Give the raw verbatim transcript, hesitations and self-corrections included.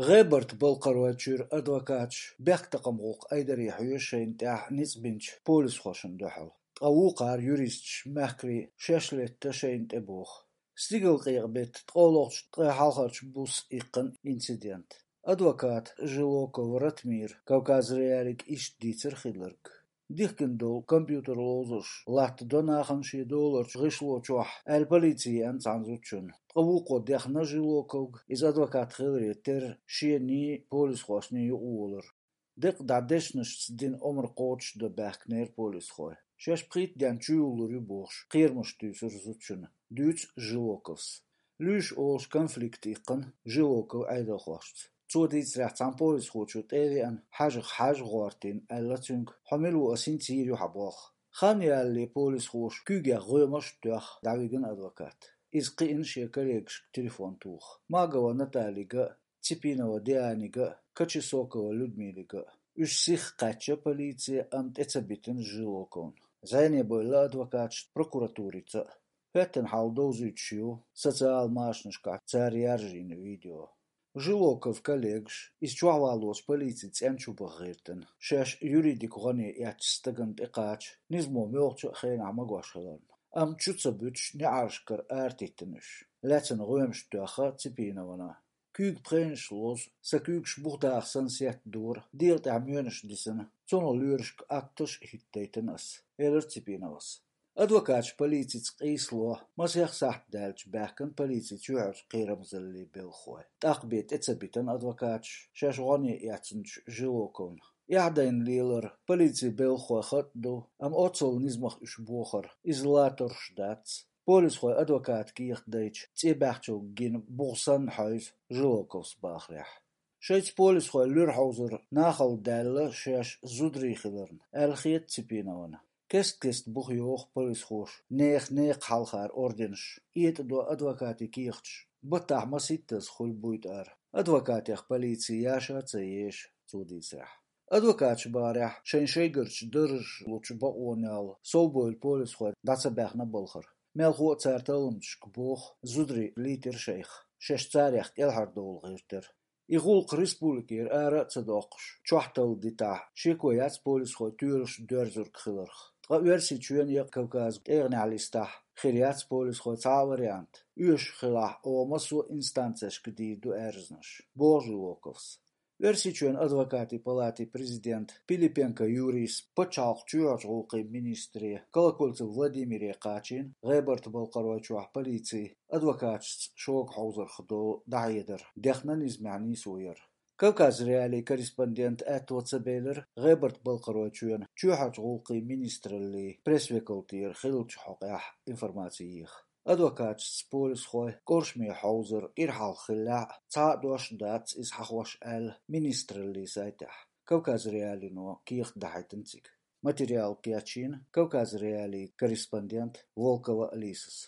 ГӀебарта-Балкхаройчуьра адвокаташ бехктакхаман гӀуллакх айдаре хьоьжу шайна тӀехь ницкъ бинчу полисхошна дуьхьал. Ткъа вукхара юристаш мехкарий шаьш летта шайна тӀе боху. Стигалкъекъа-беттан ткъолгӀачу ткъе хьалхарчу буса иккхина инцидент. Адвоката Жилоков Ратмира Кавказ.Реалиига иштта дийцира хилларг. Дихкина долу компьютер ловзарш латтадо нахана шен доларчу гӀишло чохь аьлла полици еана цхьана зудчунна. Ткъа вукхо дехна Жилоковга, иза адвокат хиларе терра шений, полисхошний юкъаволар. Декъа дӀа дешнашца дина омра кхочушдан баьхкинера полисхой. Шаьш пхийтта денна чуюллур ю бохуш, кхерамаш туьйсура зудчунна, дуьйцу Жилоковс. Луьйш олуш конфликт иккхина Жилоков Ӏедалхошца. Цо дийцарехь, цхьана полисхочо тӀе а веана, хьажах хьажа гӀортийна аьлла цуьнга, хьо мила ву, ас хӀинца йийр ю хьан болх. Хан ялале полисхоша куьйгех гӀоьмаш а тоьхна, дӀавигина адвокат. Иза кхиъна шен коллегашка телефон тоха. Магова Наталига а, Ципинова Дианига а, Кочесокова Людмилига а. Уьш сиха кхаьчна полице, амма тӀе ца битина Жилоковна. ЗӀене бевлла адвокаташна прокуратурица а. ХӀоьттина хьал довзуьйтуш ю социал машанашкахь цара яржийна видео. Жилоковн коллегаш, иза чохь валлалц полици цӀенна чу баха гӀиртина, шаьш юридикан гӀоне эцначу стагана тӀекхача, низамо муьлххачу а хенахь магош хиларна. Амма чу ца буьтуш, неӀаршкара аратиттина уьш. Лаьцна гӀоьмаш тоьхна Ципиновна. Куьйга пхенаш лозу, сан куьйгаш бух даха санна сеттадора, дегӀа тӀехь моьнаш дисина, цунах лоьрашка атташ а хӀиттайтина ас, элира Ципиновас. Адвокаташ полицица къийсало масех сахьт даьлча баьхкина полицин чоьхьарчу кхерамзаллин белхахой. ТӀаккха бен тӀе ца битина адвокаташ шаьш гӀоне эцначу Жилоковна. Эхь дайна лелара полицин белхахой хатӀ ду, амма оццул низамах уьш бохар, иза латарш дац. Полисхой адвоката кехат дайча, цӀе баьхначо гина бух санна хьовзу Жилоковс бахарехь. Шайца полисхой луьра хьовзар нахала даьлла шаьш зударий хиларна, аьлла хета Ципиновна. Кест-кеста бух йоху полисхоша нехан некха хьалхара орденаш, этӀадо адвокатийн кехаташ, баттахь масийттаза хуьлу буьйтӀар. Адвокатех полици яша а ца еша, цо дийцарехь. Адвокаташа бахарехь, шайн шайгарчу даржаш лучу бакъонал совбевлла полисхой дӀа ца баьхна балхара. Мелхо а цара талламчашка боху, зударий лийтира шайх, шаьш царех кӀелхьардовла гӀиртира. И гӀуллакх республикера ара а ца доккхуш, чохь талла дитахь, шеко яц полисхой тоьлаш доьрзург хиларх. Ткъа Оьрсийчоьнан я Кавказан тӀегӀанехь листахь, хир яц полисхойн цхьа а вариант. Оьшуш хилахь, оха массо а инстанцешка дийр ду аьрзнаш, боху Жилоковс. Оьрсийчоьнан адвокатийн палатин президента Пилипенко Юрийс пачхьалкхан чоьхьарчу гӀуллакхийн министре Колокольцев Владимире кхачийна ГӀебарта-Балкхаройчохь полицин адвокаташца шога хьовзарх долу дӀахьедар, дехна низамехь нийсо яр. Кавказ.Реалиин корреспондента аьтто ца белира ГӀебарта-Балкхаройчоьнан чоьхьарчу гӀуллакхийн министраллин пресс-векалтера хиллачу хьокъехь информаци еха. Адвокаташца полисхойн кӀоршаме хьовзар кӀира хьалха хиллехь а, цхьа а дош дац иза хьахош, аьлла министраллин сайтехь. Кавказ.Реалино кехат дахьийтина цига. Материал кечйина Кавказ.Реалиин корреспондента Волкова Лисас.